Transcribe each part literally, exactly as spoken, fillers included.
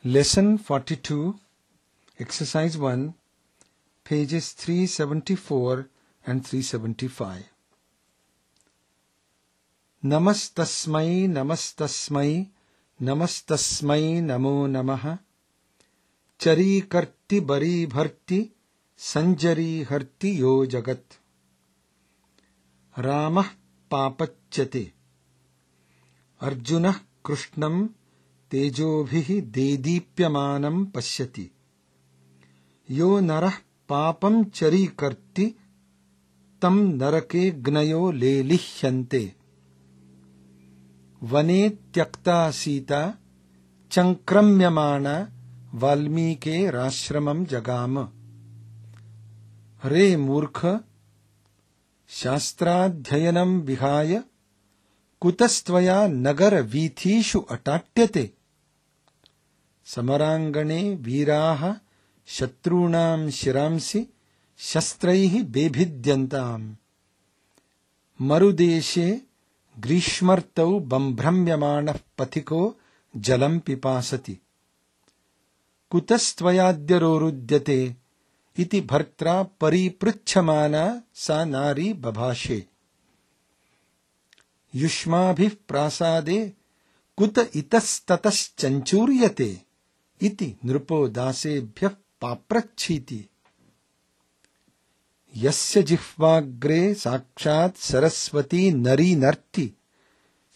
Lesson forty-two, Exercise one, pages three seventy-four and three seventy-five. Namastasmai namastasmai namastasmai namo namaha chari karti bari bharti sanjari harti yo jagat Ramah papachyate Arjunah krishnam तेजोभिः देदीप्यमानं पश्यति यो नरः पापं चरीकर्ति तं नरके ग्नयो लेलिह्यन्ते वने त्यक्ता सीता चंक्रम्यमाणा वाल्मीकेराश्रमं जगाम रे मूर्ख शास्त्राध्ययनं विहाय कुतस्त्वया नगरवीथीषु अटाट्यते समरांगणे वीराः शत्रूणां शिरांसि शस्त्रैः बेभिद्यन्ताम् मरुदेशे ग्रीष्मर्तौ बम्भ्रम्यमाणः पथिको जलं पिपासति कुतस्त्वयाद्यरोरुध्यते इति भर्त्रा परिपृच्छमाना सा नारी बभाषे युष्माभिः प्रासादे कुत इतस्ततश्चञ्चूर्यते इति नृपो दासेभ्यः पाप्रच्छीति यस्य जिह्वाग्रे साक्षात् सरस्वती नरी नर्ति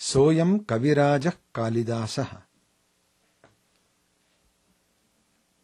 सोऽयं कविराजः कालिदासः।